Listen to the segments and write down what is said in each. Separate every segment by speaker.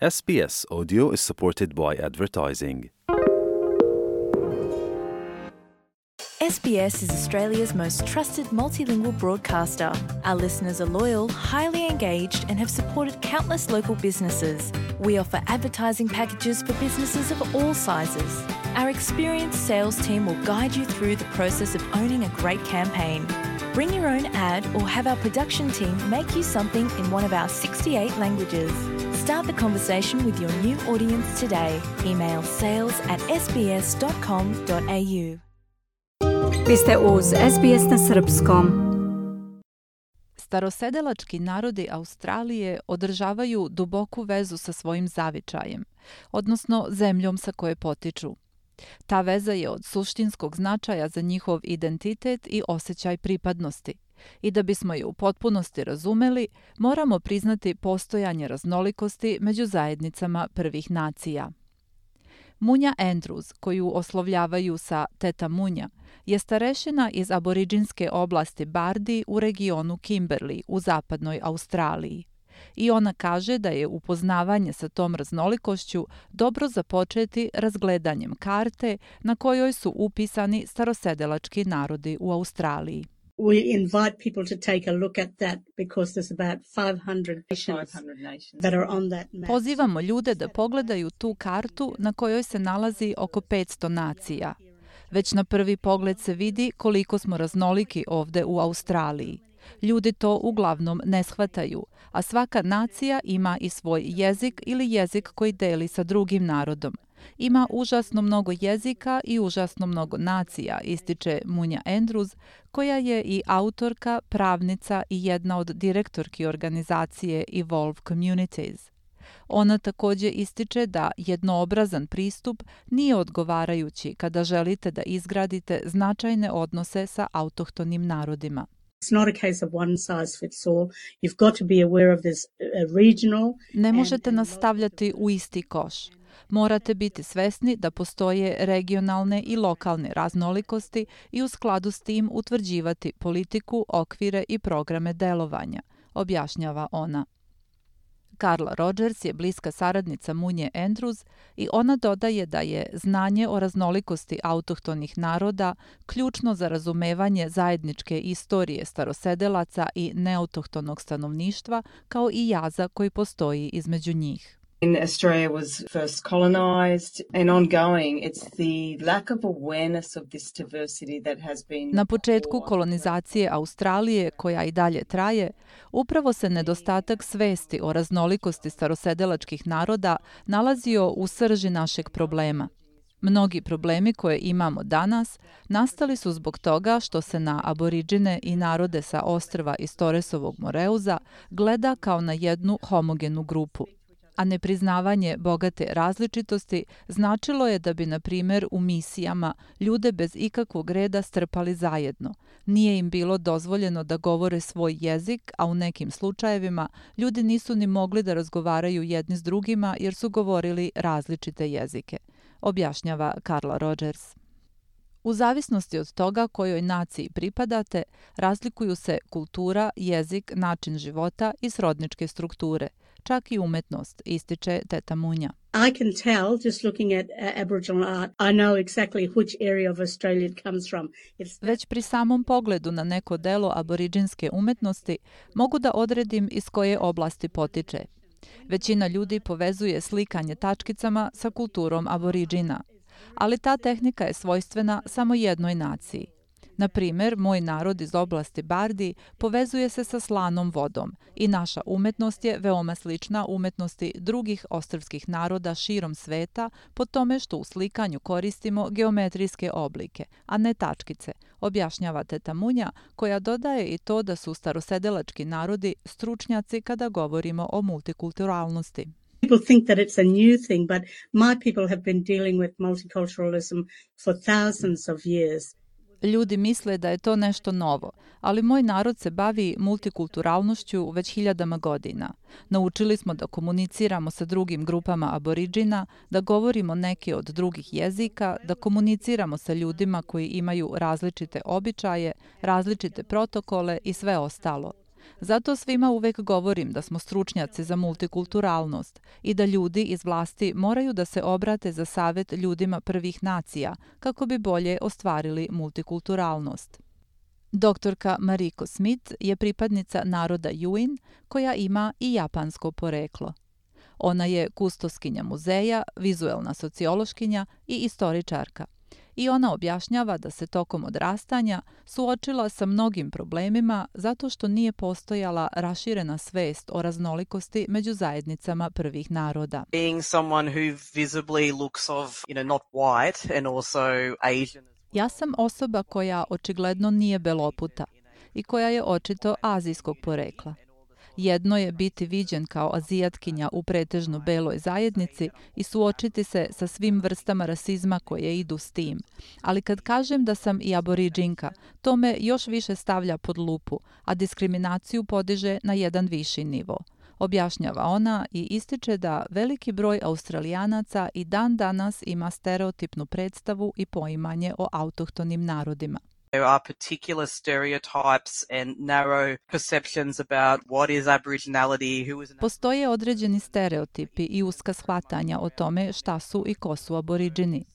Speaker 1: SBS Audio is supported by advertising.
Speaker 2: SBS is Australia's most trusted multilingual broadcaster. Our listeners are loyal, highly engaged, and have supported countless local businesses. We offer advertising packages for businesses of all sizes. Our experienced sales team will guide you through the process of owning a great campaign. Bring your own ad or have our production team make you something in one of our 68 languages. Start the conversation with your new audience today. Email sales@sbs.com.au.
Speaker 3: Vi ste uz SBS na srpskom.
Speaker 4: Starosedelački narodi Australije održavaju duboku vezu sa svojim zavičajem, odnosno zemljom sa koje potiču. Ta veza je od suštinskog značaja za njihov identitet i osjećaj pripadnosti. I da bismo je u potpunosti razumeli, moramo priznati postojanje raznolikosti među zajednicama prvih nacija. Munja Andrews, koju oslovljavaju sa Teta Munja, je starešina iz aboriđinske oblasti Bardi u regionu Kimberley u zapadnoj Australiji. I ona kaže da je upoznavanje sa tom raznolikošću dobro započeti razgledanjem karte na kojoj su upisani starosedelački narodi u Australiji.
Speaker 5: We invite people to take a look at that because there's about 500 nations that are on that map.
Speaker 4: Pozivamo ljude da pogledaju tu kartu na kojoj se nalazi oko 500 nacija. Već na prvi pogled se vidi koliko smo raznoliki ovde u Australiji. Ljudi to uglavnom ne shvataju, a svaka nacija ima i svoj jezik ili jezik koji deli sa drugim narodom. Ima užasno mnogo jezika i užasno mnogo nacija, ističe Munja Andrews, koja je i autorka, pravnica i jedna od direktorki organizacije Evolve Communities. Ona također ističe da jednoobrazan pristup nije odgovarajući kada želite da izgradite značajne odnose sa autohtonim narodima.
Speaker 5: It's not a case of one size fits all. You've got to be aware of this regional.
Speaker 4: Ne možete nas stavljati u isti koš. Morate biti svesni da postoje regionalne i lokalne raznolikosti i u skladu s tim utvrđivati politiku, okvire i programe delovanja, objašnjava ona. Carla Rogers je bliska saradnica Munje Andrews i ona dodaje da je znanje o raznolikosti autohtonih naroda ključno za razumevanje zajedničke istorije starosedelaca i neautohtonog stanovništva, kao i jaza koji postoji između njih.
Speaker 6: In Australia was first colonized and ongoing, it's the lack of awareness of this diversity that has been...
Speaker 4: Na početku kolonizacije Australije, koja i dalje traje, upravo se nedostatak svesti o raznolikosti starosedelačkih naroda nalazio u srži našeg problema. Mnogi problemi koje imamo danas nastali su zbog toga što se na aboriđine i narode sa ostrva iz Torresovog Moreuza gleda kao na jednu homogenu grupu. A nepriznavanje bogate različitosti značilo je da bi, na primjer, u misijama ljude bez ikakvog reda strpali zajedno. Nije im bilo dozvoljeno da govore svoj jezik, a u nekim slučajevima ljudi nisu ni mogli da razgovaraju jedni s drugima jer su govorili različite jezike, objašnjava Carla Rogers. U zavisnosti od toga kojoj naciji pripadate, razlikuju se kultura, jezik, način života i srodničke strukture, čak i umetnost, ističe Teta Munja.
Speaker 5: I can tell just looking at Aboriginal art, I know exactly which area of Australia it comes from.
Speaker 4: Već pri samom pogledu na neko delo aboriđinske umetnosti mogu da odredim iz koje oblasti potiče. Većina ljudi povezuje slikanje tačkicama sa kulturom aboriđina, ali ta tehnika je svojstvena samo jednoj naciji. Na primjer, moj narod iz oblasti Bardi povezuje se sa slanom vodom i naša umetnost je veoma slična umetnosti drugih ostrvskih naroda širom sveta po tome što u slikanju koristimo geometrijske oblike, a ne tačkice, objašnjava Teta Munja, koja dodaje i to da su starosedelački narodi stručnjaci kada govorimo o multikulturalnosti.
Speaker 5: People think that it's a new thing, but my people have been dealing with multiculturalism for thousands of years.
Speaker 4: Ljudi misle da je to nešto novo, ali moj narod se bavi multikulturalnošću već hiljadama godina. Naučili smo da komuniciramo sa drugim grupama aboriđina, da govorimo neke od drugih jezika, da komuniciramo sa ljudima koji imaju različite običaje, različite protokole i sve ostalo. Zato svima uvek govorim da smo stručnjaci za multikulturalnost i da ljudi iz vlasti moraju da se obrate za savet ljudima prvih nacija kako bi bolje ostvarili multikulturalnost. Doktorka Mariko Smith je pripadnica naroda Yuin koja ima i japansko poreklo. Ona je kustoskinja muzeja, vizuelna sociološkinja i istoričarka. I ona objašnjava da se tokom odrastanja suočila sa mnogim problemima zato što nije postojala raširena svest o raznolikosti među zajednicama prvih naroda.
Speaker 7: Being someone who visibly looks of, not white and also Asian.
Speaker 4: Ja sam osoba koja očigledno nije beloputa i koja je očito azijskog porekla. Jedno je biti viđen kao azijatkinja u pretežno beloj zajednici i suočiti se sa svim vrstama rasizma koje idu s tim. Ali kad kažem da sam i aboriđinka, to me još više stavlja pod lupu, a diskriminaciju podiže na jedan viši nivo. Objašnjava ona i ističe da veliki broj Australijanaca i dan danas ima stereotipnu predstavu i poimanje o autohtonim narodima.
Speaker 7: There are particular stereotypes and narrow perceptions about what is Aboriginality, who is an...
Speaker 4: Postoje određeni stereotipi i uska shvatanja o tome šta su i ko su aboriđini.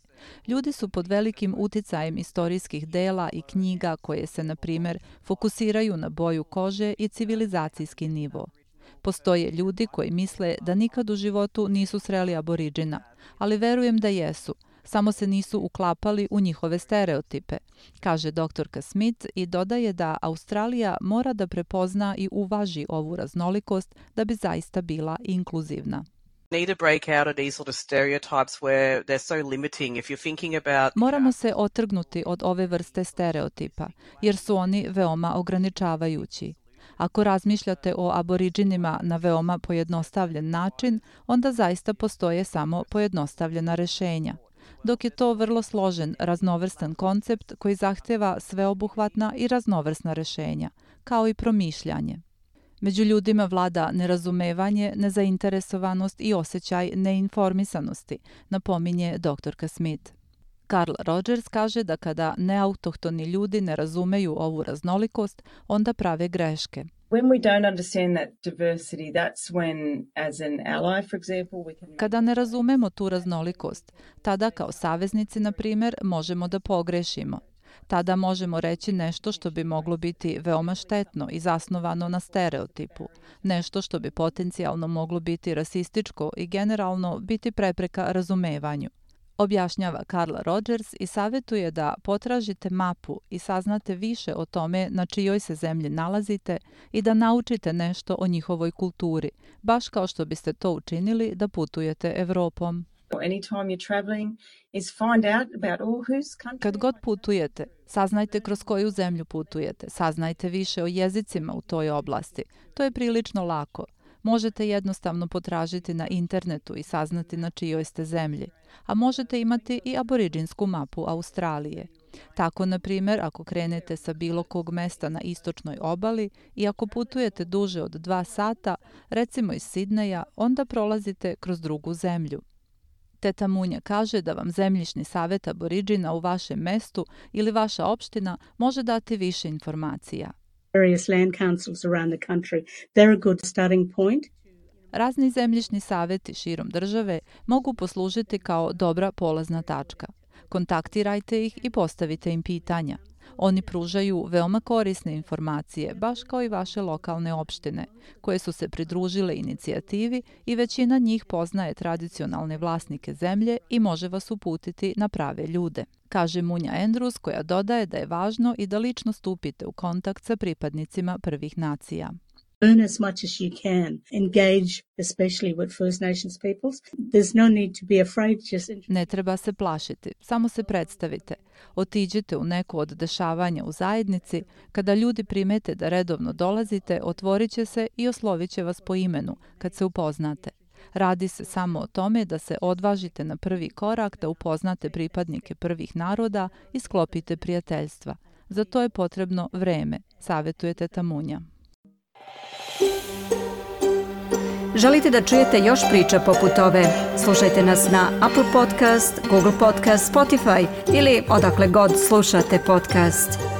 Speaker 4: Ljudi su pod velikim uticajem istorijskih dela i knjiga koje se, na primjer, fokusiraju na boju kože i civilizacijski nivo. Postoje ljudi koji misle da nikad u životu nisu sreli aboriđina, ali verujem da jesu, samo se nisu uklapali u njihove stereotipe, kaže doktorka Smith i dodaje da Australija mora da prepozna i uvaži ovu raznolikost da bi zaista bila inkluzivna. Moramo se otrgnuti od ove vrste stereotipa, jer su oni veoma ograničavajući. Ako razmišljate o aboriđinima na veoma pojednostavljen način, onda zaista postoje samo pojednostavljena rešenja. Dok je to vrlo složen, raznovrstan koncept koji zahteva sveobuhvatna i raznovrsna rešenja, kao i promišljanje. Među ljudima vlada nerazumevanje, nezainteresovanost i osjećaj neinformisanosti, napominje doktorka Smith. Carl Rogers kaže da kada neautohtoni ljudi ne razumeju ovu raznolikost, onda prave greške. Kada ne razumemo tu raznolikost, tada kao saveznici, na primjer, možemo da pogrešimo. Tada možemo reći nešto što bi moglo biti veoma štetno i zasnovano na stereotipu, nešto što bi potencijalno moglo biti rasističko i generalno biti prepreka razumevanju. Objašnjava Carl Rogers i savjetuje da potražite mapu i saznate više o tome na čijoj se zemlji nalazite i da naučite nešto o njihovoj kulturi, baš kao što biste to učinili da putujete Evropom. Kad god putujete, saznajte kroz koju zemlju putujete, saznajte više o jezicima u toj oblasti. To je prilično lako. Možete jednostavno potražiti na internetu i saznati na čijoj ste zemlji, a možete imati i aboriđinsku mapu Australije. Tako, na primjer, ako krenete sa bilo kog mesta na istočnoj obali i ako putujete duže od 2 sata, recimo iz Sidneja, onda prolazite kroz drugu zemlju. Teta Munja kaže da vam zemljišni savjet aboriđina u vašem mestu ili vaša opština može dati više informacija.
Speaker 5: Various land councils around the country, they're a good starting point.
Speaker 4: Razni zemljišni savjeti širom države mogu poslužiti kao dobra polazna tačka. Kontaktirajte ih i postavite im pitanja. Oni pružaju veoma korisne informacije, baš kao i vaše lokalne opštine, koje su se pridružile inicijativi i većina njih poznaje tradicionalne vlasnike zemlje i može vas uputiti na prave ljude, kaže Munja Andrews, koja dodaje da je važno i da lično stupite u kontakt sa pripadnicima prvih nacija.
Speaker 5: Learn as much as you can. Engage, especially with First Nations peoples. There's no need to be afraid.
Speaker 4: Ne treba se plašiti, samo se predstavite. Otiđite u neku od dešavanja u zajednici. Kada ljudi primete da redovno dolazite, otvorit će se i oslovit će vas po imenu kad se upoznate. Radi se samo o tome da se odvažite na prvi korak, da upoznate pripadnike prvih naroda i sklopite prijateljstva. Za to je potrebno vreme, savjetuje teta Munja.
Speaker 3: Želite da čujete još priča poput ove? Slušajte nas na Apple Podcast, Google Podcast, Spotify ili odakle god slušate podcast.